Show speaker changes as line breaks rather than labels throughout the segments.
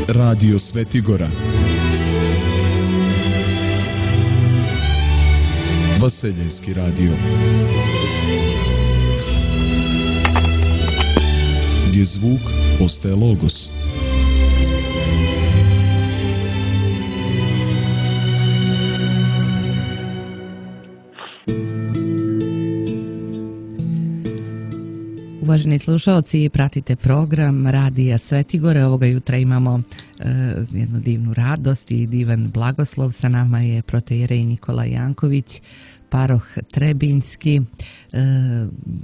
Radio Svetigora. Vaseljenski radio. Gdje zvuk postaje logos.
Uvaženi slušalci, pratite program Radija Svetigore. Ovoga jutra imamo jednu divnu radost i divan blagoslov. Sa nama je protoijerej Nikola Janković, paroh Trebinjski.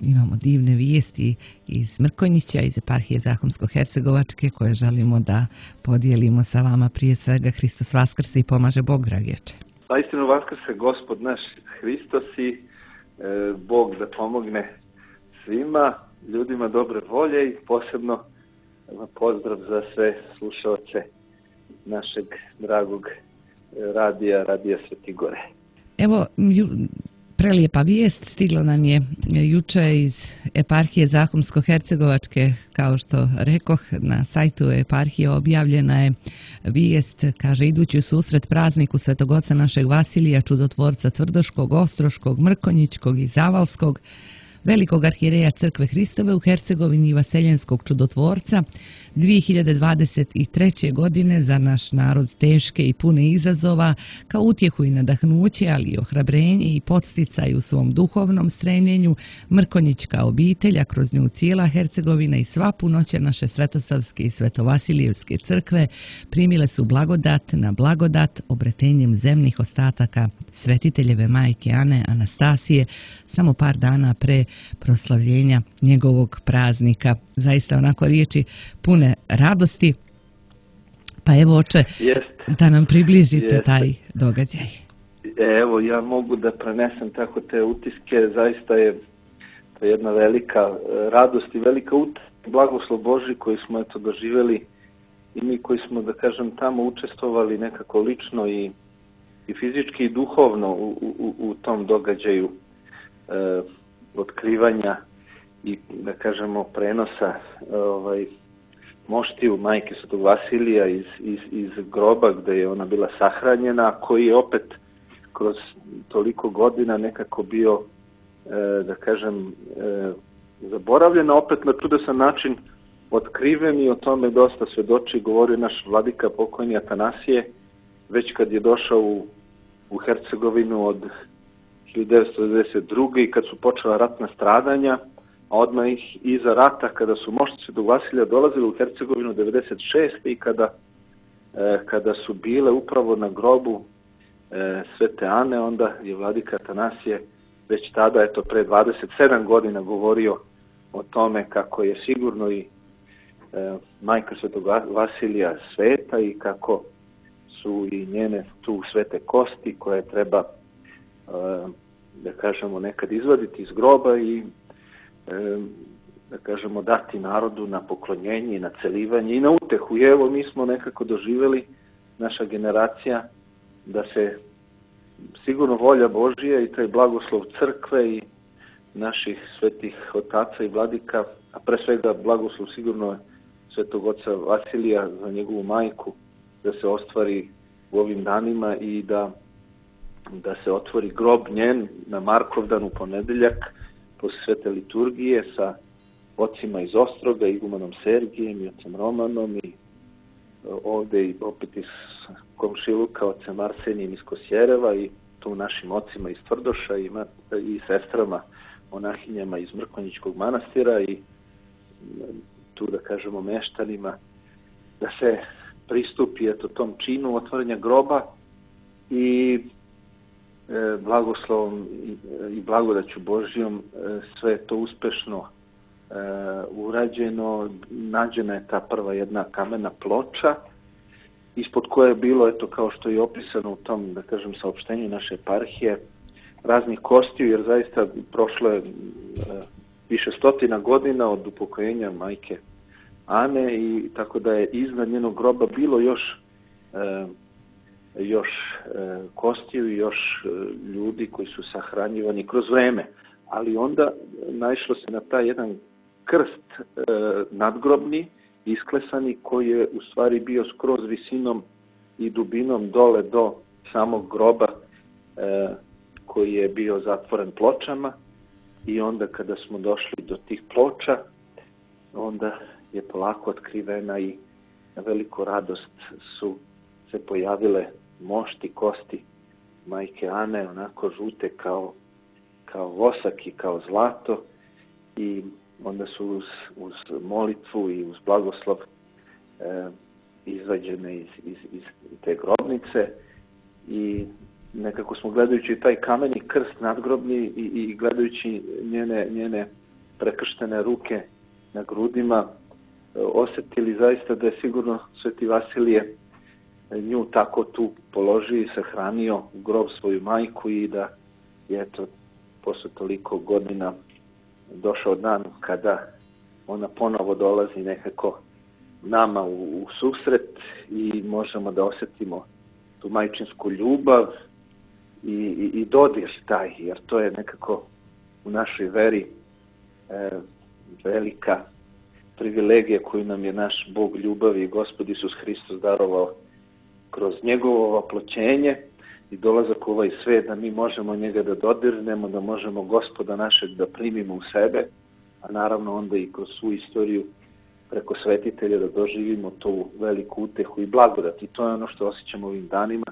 Imamo divne vijesti iz Mrkonjića, iz eparhije Zahumsko-Hercegovačke, koje želimo da podijelimo sa vama. Prije svega, Hristos vaskrse i pomaže Bog, dragječe.
Zaistinu vaskrse Gospod naš Hristos i Bog da pomogne svima, ljudima dobre volje i posebno pozdrav za sve slušalce našeg dragog Radija Svetigore.
Evo, prelijepa vijest stigla nam je juče iz eparhije Zahumsko-Hercegovačke. Kao što rekoh, na sajtu eparhije objavljena je vijest, kaže, idući u susret prazniku Svetog Oca našeg Vasilija, čudotvorca Tvrdoškog, Ostroškog, Mrkonjićkog i Zavalskog, velikog arhijereja Crkve Hristove u Hercegovini i vaseljenskog čudotvorca, 2023. godine za naš narod teške i pune izazova, kao utjehu i nadahnuće, ali i ohrabrenje i podsticaj u svom duhovnom stremljenju, Mrkonjićka obitelj, a kroz nju cijela Hercegovina i sva punoća naše Svetosavske i Svetovasilijevske crkve primile su blagodat na blagodat obretenjem zemnih ostataka svetiteljeve majke Ane Anastasije, samo par dana pre proslavljenja njegovog praznika. Zaista onako riječi pune radosti. Pa evo, oče, da nam približite taj događaj.
Evo, ja mogu da prenesem tako te utiske. Zaista je to jedna velika radost i velika blagoslov Božji koji smo doživjeli i mi koji smo, da kažem, tamo učestvovali nekako lično i fizički i duhovno u tom događaju otkrivanja i, da kažemo, prenosa moštiju majke Svetog Vasilija iz groba gdje je ona bila sahranjena, koji je opet kroz toliko godina nekako bio, da kažem, zaboravljen, opet na čudesan način otkriven i o tome dosta svedoči govorio naš vladika pokojni Atanasije, već kad je došao u Hercegovinu od 1992. i kad su počela ratna stradanja, a odmah iza rata kada su mošti Svetog Vasilija dolazili u Hercegovinu 1996. i kada su bile upravo na grobu Svete Ane, onda je vladika Atanasije već tada, pre 27 godina govorio o tome kako je sigurno i majka Svetog Vasilija sveta i kako su i njene tu svete kosti koje treba, da kažemo, nekad izvaditi iz groba i, da kažemo, dati narodu na poklonjenje i na celivanje i na utehu. I evo, mi smo nekako doživjeli, naša generacija, da se sigurno volja Božija i taj blagoslov crkve i naših svetih otaca i vladika, a pre svega blagoslov sigurno Svetog Oca Vasilija za njegovu majku, da se ostvari u ovim danima i da se otvori grob njen na Markovdan u ponedeljak posle svete liturgije sa ocima iz Ostroga, igumanom Sergijem i ocem Romanom i ovdje i opet iz komšiluka ocem Arsenijem iz Kosjereva i tu našim ocima iz Tvrdoša i sestrama monahinjama iz Mrkonjićkog manastira i tu, da kažemo, meštanima, da se pristupi tom činu otvorenja groba i blagoslovom i blagodaću Božjom sve je to uspešno urađeno. Nađena je ta prva jedna kamena ploča ispod koje je bilo, kao što je opisano u tom, da kažem, saopštenju naše eparhije, raznih kostiju, jer zaista prošlo je više stotina godina od upokojenja majke Ane i tako da je iznad njenog groba bilo još kostiju i još ljudi koji su sahranjivani kroz vreme. Ali onda naišlo se na taj jedan krst nadgrobni isklesani, koji je u stvari bio skroz visinom i dubinom dole do samog groba, koji je bio zatvoren pločama. I onda kada smo došli do tih ploča, onda je polako otkrivena i na veliku radost su se pojavile mošti, kosti majke Ane, onako žute kao vosak i kao zlato, i onda su uz molitvu i uz blagoslov izvađene iz te grobnice, i nekako smo gledajući taj kameni krst nadgrobni i gledajući njene prekrštene ruke na grudima, osjetili zaista da je sigurno Sveti Vasilije nju tako tu položio i sahranio u grob svoju majku, i da je eto posle toliko godina došao dan kada ona ponovo dolazi nekako nama u susret i možemo da osjetimo tu majčinsku ljubav i dodir taj, jer to je nekako u našoj veri velika privilegija koju nam je naš Bog ljubavi i Gospod Isus Hristos darovao kroz njegovo oploćenje i dolazak u ovaj svet, da mi možemo njega da dodirnemo, da možemo Gospoda našeg da primimo u sebe, a naravno onda i kroz svu istoriju preko svetitelja da doživimo tu veliku utehu i blagodat. I to je ono što osjećamo ovim danima,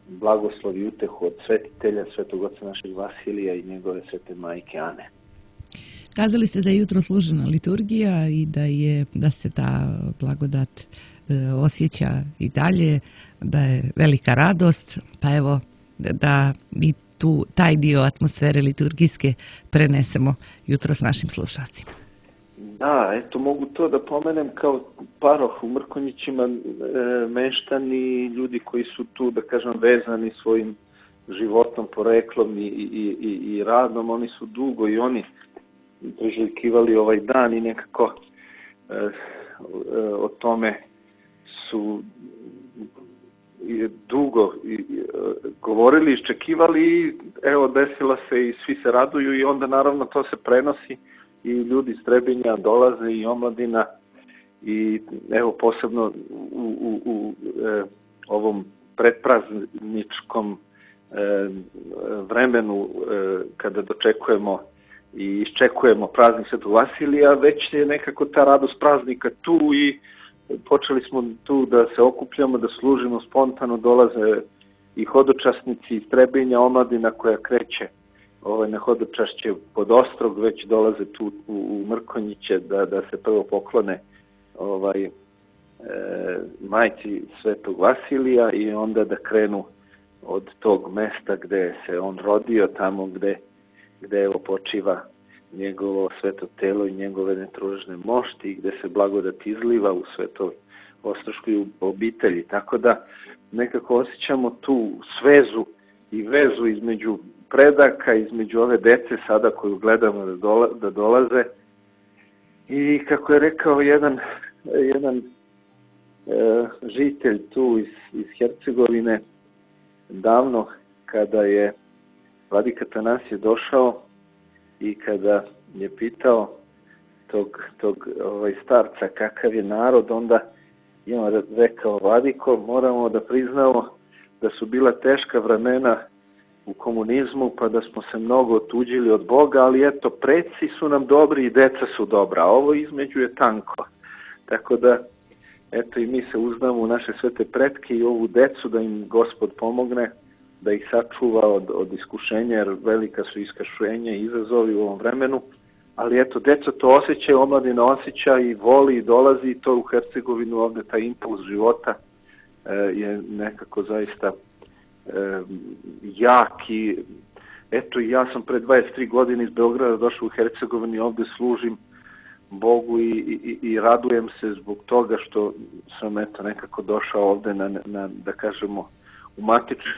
blagoslov i utehu od svetitelja, svetog oca našeg Vasilija i njegove svete majke Ane.
Kazali ste da je jutro služena liturgija i da se ta blagodat osjeća i dalje, da je velika radost, pa evo da i taj dio atmosfere liturgijske prenesemo jutro s našim slušalcima.
Da, eto mogu to da pomenem kao paroh u Mrkonjićima, meštani, ljudi koji su tu, da kažem, vezani svojim životom, poreklom i radom, oni su dugo i oni priželjkivali ovaj dan i nekako o tome su dugo govorili, iščekivali, i evo desila se i svi se raduju, i onda naravno to se prenosi i ljudi iz Trebinja dolaze i omladina, i evo posebno u ovom predprazničkom vremenu kada dočekujemo i iščekujemo praznik Svetog Vasilija, već je nekako ta radost praznika tu i počeli smo tu da se okupljamo, da služimo spontano, dolaze i hodočasnici iz Trebinja, omladina koja kreće na hodočašće pod Ostrog, već dolaze tu u Mrkonjiće da se prvo poklone majci Svetog Vasilija i onda da krenu od tog mesta gde se on rodio, tamo gde evo počiva njegovo sveto telo i njegove netružne mošti, gde se blagodat izliva u svetoj ostroškoj obitelji. Tako da nekako osjećamo tu svezu i vezu između predaka, između ove dece sada koju gledamo da dolaze. I kako je rekao jedan žitelj tu iz Hercegovine, davno kada je vladika Atanasije došao i kada je pitao tog starca kakav je narod, onda je on rekao: vladiko, moramo da priznamo da su bila teška vremena u komunizmu, pa da smo se mnogo otuđili od Boga, ali eto, preci su nam dobri i deca su dobra, a ovo između je tanko. Tako da, eto, i mi se uzdamo u naše svete pretke i ovu decu da im Gospod pomogne, da ih sačuva od iskušenja, jer velika su iskušenja i izazovi u ovom vremenu, ali eto, deca to osjećaju, omladina osjeća i voli i dolazi, i to u Hercegovinu ovde taj impuls života je nekako zaista jak. I eto, ja sam pre 23 godine iz Beograda došao u Hercegovini, ovde služim Bogu i radujem se zbog toga što sam eto nekako došao ovde na da kažemo u matičnu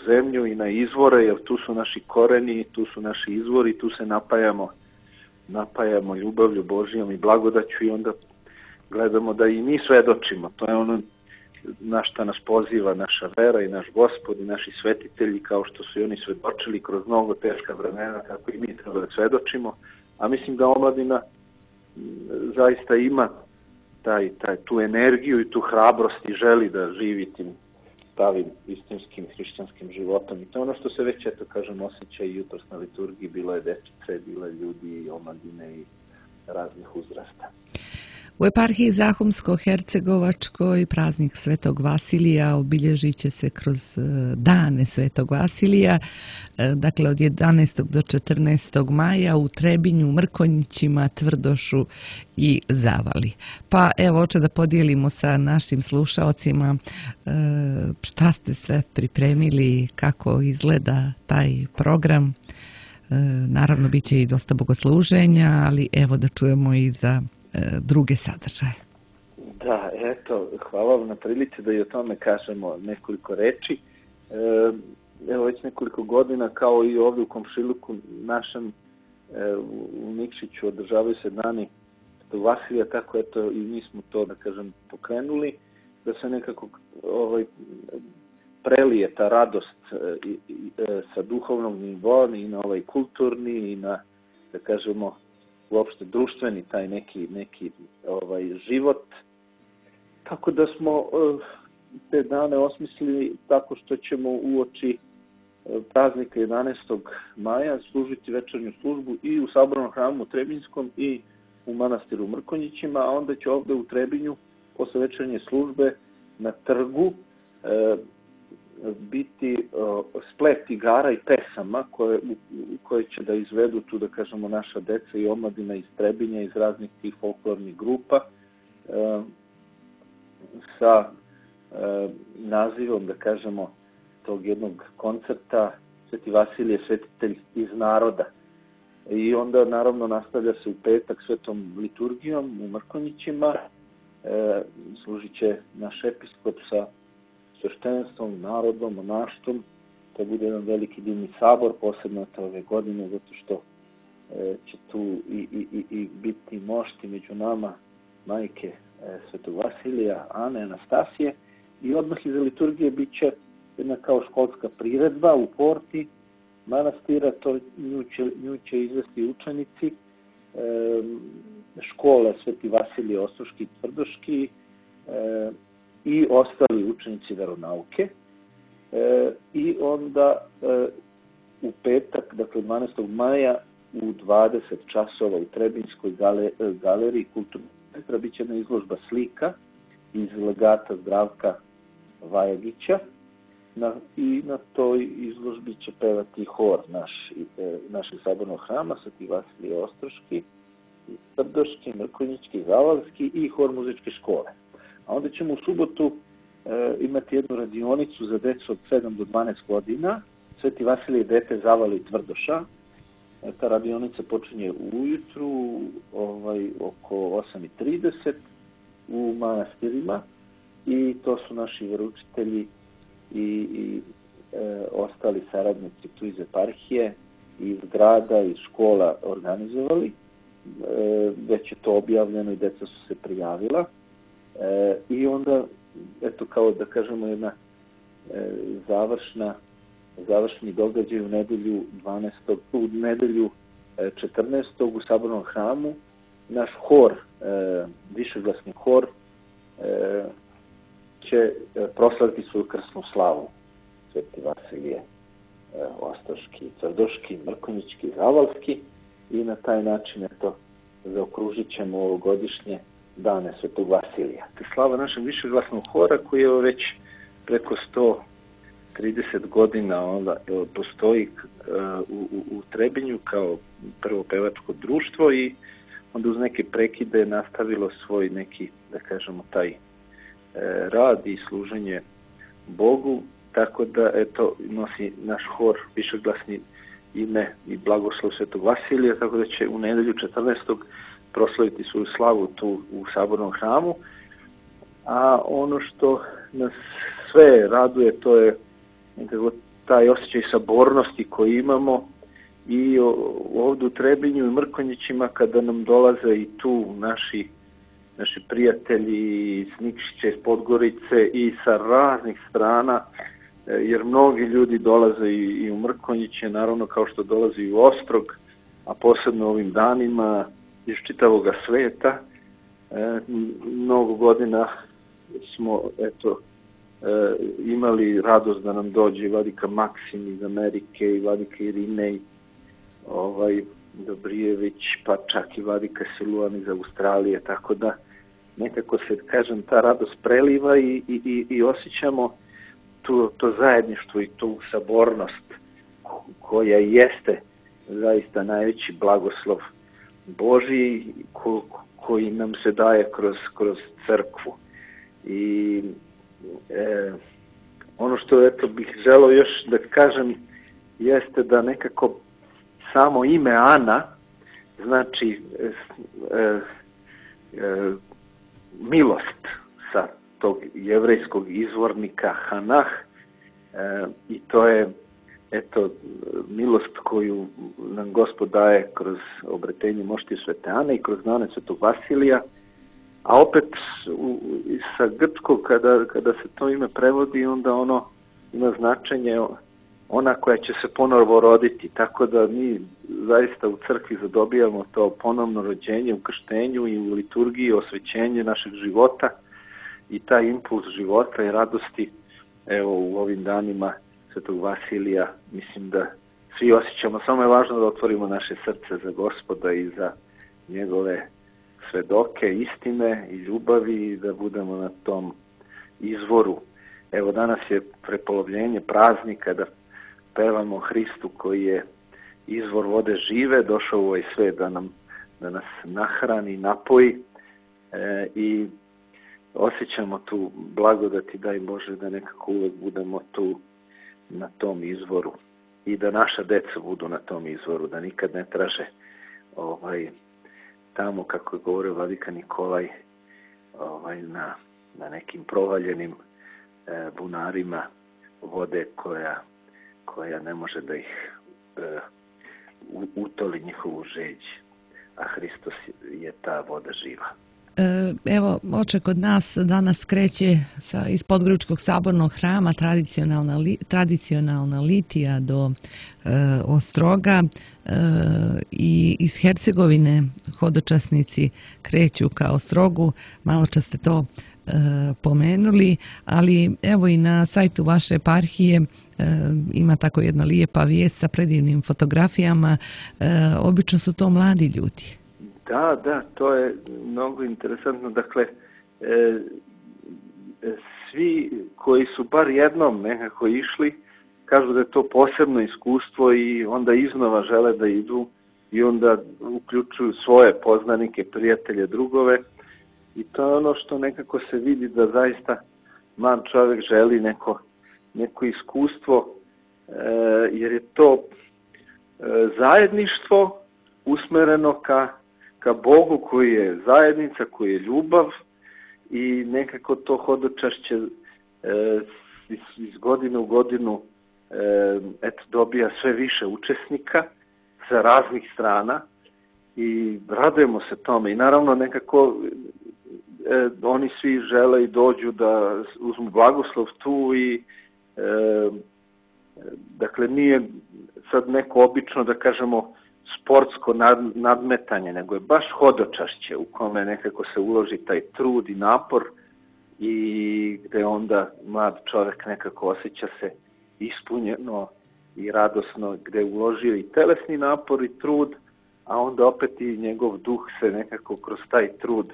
zemlju i na izvore, jer tu su naši koreni, tu su naši izvori, tu se napajamo ljubavlju Božijom i blagodaću, i onda gledamo da i mi svedočimo. To je ono na šta nas poziva naša vera i naš Gospod i naši svetitelji, kao što su i oni svedočili kroz mnogo teška vremena, kako i mi treba da svedočimo. A mislim da omladina zaista ima tu energiju i tu hrabrost i želi da živi tim pravim istinskim hrišćanskim životom. I to je ono što se već, eto kažem, osjeća i jutros na liturgiji. Bilo je dečice, bilo je ljudi i omladine i raznih uzrasta.
U eparhiji Zahumsko-Hercegovačkoj praznik Svetog Vasilija obilježit će se kroz dane Svetog Vasilija, dakle od 11. do 14. maja u Trebinju, Mrkonjićima, Tvrdošu i Zavali. Pa evo, hoće da podijelimo sa našim slušaocima šta ste sve pripremili, kako izgleda taj program. Naravno, bit će i dosta bogosluženja, ali evo da čujemo i za druge sadržaje.
Da, eto, hvala vam na prilici da i o tome kažemo nekoliko reči. Evo već nekoliko godina, kao i ovdje u komšiluku našem u Nikšiću održavaju se dani Svetog Vasilija, tako eto i mi smo to, da kažem, pokrenuli, da se nekako prelije ta radost sa duhovnog nivoa i na ovaj kulturni i na, da kažemo, uopšte društveni taj neki život. Tako da smo te dane osmislili tako što ćemo uoči praznika 11. maja služiti večernju službu i u Sabornom hramu Trebinjskom i u manastiru Mrkonjićima, a onda će ovdje u Trebinju posle večernje službe na trgu biti splet igara i pesama koje će da izvedu tu, da kažemo, naša deca i omladina iz Trebinja, iz raznih tih folklornih grupa sa nazivom, da kažemo, tog jednog koncerta Sveti Vasilije, svetitelj iz naroda. I onda naravno nastavlja se u petak svetom liturgijom u Mrkonjićima, služit će naš episkop sa sveštenstvom, narodom, monaštvom. To bude jedan veliki divni sabor, posebno ove godine, zato što će tu i biti mošti među nama majke Svetog Vasilija, Ane, Anastasije. I odmah iza liturgije bit će jedna kao školska priredba u porti manastira, to nju će izvesti učenici škole Sveti Vasilije Ostroški i Tvrdoški i ostali učenici veronauke. I onda u petak, dakle 12. maja u 20 časova u Trebinjskoj galeriji kulturnog centra bit će jedna izložba slika iz legata Zdravka Vajagića i na toj izložbi će pevati hor našeg sabornog hrama Sveti Vasilije Ostroški, Tvrdoški, Mrkonjićki, Zavalski i hor muzičke škole. A onda ćemo u subotu imati jednu radionicu za decu od 7 do 12 godina, Sveti Vasilije dete Zavali i Tvrdoša. Ta radionica počinje ujutru oko 8:30 u manastirima i to su naši veroučitelji i ostali saradnici tu iz eparhije, iz grada, iz škola organizovali. Već je to objavljeno i deca su se prijavila. I onda, eto, kao da kažemo, jedna završni događaj u nedelju 14. u Sabornom hramu. Naš hor, višeglasni hor, će proslaviti svoju krsnu slavu. Sveti Vasilije Ostroški, Tvrdoški, Mrkonjićki, Zavalski i na taj način zaokružit ćemo ovogodišnje dane Svetog Vasilija. Slava našeg višeglasnog hora koji je već preko 130 godina postoji u Trebinju kao prvo pevačko društvo i onda uz neke prekide nastavilo svoj neki, da kažemo, taj rad i služenje Bogu, tako da nosi naš hor višeglasni ime i blagoslov Svetog Vasilija, tako da će u nedelju 14. proslaviti svoju slavu tu u Sabornom hramu. A ono što nas sve raduje, to je nekako taj osjećaj sabornosti koji imamo i ovdje u Trebinju i Mrkonjićima kada nam dolaze i tu naši prijatelji iz Nikšića, iz Podgorice i sa raznih strana, jer mnogi ljudi dolaze i u Mrkonjiće, naravno kao što dolaze i u Ostrog, a posebno ovim danima iz čitavog sveta. Mnogo godina smo imali radost da nam dođe vladika Maksim iz Amerike i vladika Irinej, Dobrijević, pa čak i vladika Siluan iz Australije, tako da nekako se, kažem, ta radost preliva i osjećamo to zajedništvo i tu sabornost koja jeste zaista najveći blagoslov Božji koji nam se daje kroz crkvu. I ono što bih želeo još da kažem jeste da nekako samo ime Ana znači milost sa tog jevrejskog izvornika Hanah, i to je milost koju nam Gospod daje kroz obretenje mošti Svete Ane i kroz dane Svetog Vasilija, a opet sa grčkog kada se to ime prevodi, onda ono ima značenje ona koja će se ponovo roditi, tako da mi zaista u crkvi zadobijamo to ponovno rođenje u krštenju i u liturgiji, osvećenje našeg života i taj impuls života i radosti. Evo, u ovim danima Svetog Vasilija mislim da svi osjećamo, samo je važno da otvorimo naše srce za Gospoda i za njegove svedoke, istine i ljubavi i da budemo na tom izvoru. Evo, danas je prepolovljenje praznika da pevamo Hristu koji je izvor vode žive, došao u ovaj svet da nas nahrani, napoji, i osjećamo tu blagodati, daj Bože, da nekako uvek budemo tu na tom izvoru i da naša deca budu na tom izvoru, da nikad ne traže tamo, kako je govorio vladika Nikolaj, na nekim provaljenim bunarima vode koja ne može da ih utoli njihovu žeđ, a Hristos je ta voda živa.
Evo, oče kod nas danas kreće iz Podgoričkog sabornog hrama tradicionalna litija do Ostroga, i iz Hercegovine hodočasnici kreću ka Ostrogu. Malo čas ste to pomenuli, ali evo i na sajtu vaše eparhije ima tako jedna lijepa vijest sa predivnim fotografijama. Obično su to mladi ljudi.
Da, to je mnogo interesantno. Dakle, svi koji su bar jednom nekako išli, kažu da je to posebno iskustvo i onda iznova žele da idu i onda uključuju svoje poznanike, prijatelje, drugove, i to je ono što nekako se vidi da zaista mlad čovjek želi neko iskustvo, jer je to zajedništvo usmereno ka Bogu koji je zajednica, koji je ljubav, i nekako to hodočašće iz godine u godinu dobija sve više učesnika sa raznih strana i radujemo se tome. I naravno nekako oni svi žele i dođu da uzmu blagoslov tu i dakle nije sad neko obično, da kažemo, sportsko nadmetanje, nego je baš hodočašće u kome nekako se uloži taj trud i napor i gde onda mlad čovjek nekako osjeća se ispunjeno i radosno, gde je uložio i telesni napor i trud, a onda opet i njegov duh se nekako kroz taj trud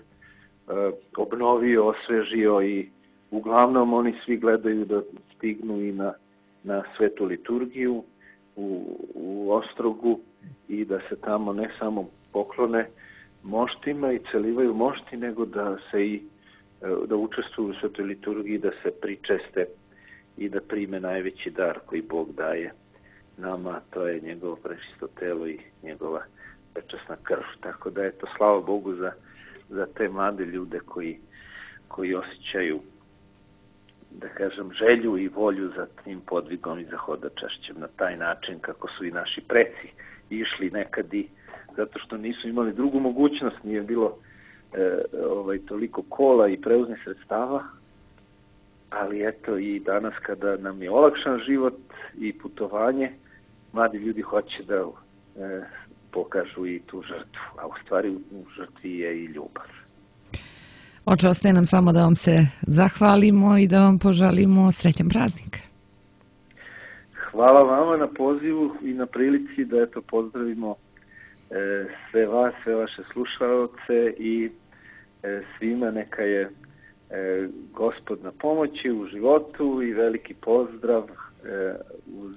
obnovio, osvežio, i uglavnom oni svi gledaju da stignu i na svetu liturgiju u Ostrogu i da se tamo ne samo poklone moštima i celivaju mošti, nego da se da učestvuju u svetoj liturgiji, da se pričeste i da prime najveći dar koji Bog daje nama, to je njegovo prečisto telo i njegova prečasna krv. Tako da eto, slava Bogu za te mlade ljude koji osjećaju, da kažem, želju i volju za tim podvigom i za hodočašćem na taj način kako su i naši preci išli nekad, i zato što nisu imali drugu mogućnost, nije bilo toliko kola i prevoznih sredstava, ali eto i danas kada nam je olakšan život i putovanje, mladi ljudi hoće da pokažu i tu žrtvu, a u stvari u žrtvi je i ljubav.
Oče, ostaje nam samo da vam se zahvalimo i da vam poželimo srećan praznik.
Hvala vama na pozivu i na prilici da pozdravimo sve vas, sve vaše slušaoce i svima neka je Gospod na pomoći u životu i veliki pozdrav uz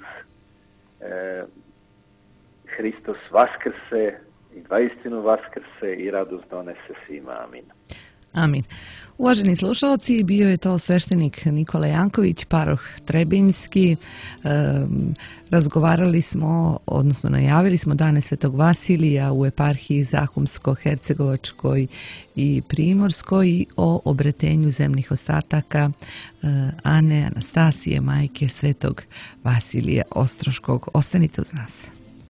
Hristos vaskrse i vaistinu vaskrse i radost donese svima. Amin.
Amin. Uvaženi slušalci, bio je to sveštenik Nikola Janković, paroh Trebinjski. Razgovarali smo, odnosno najavili smo dane Svetog Vasilija u eparhiji Zahumsko-Hercegovačkoj i Primorskoj o obretenju zemnih ostataka Ane Anastasije, majke Svetog Vasilija Ostroškog. Ostanite uz nas.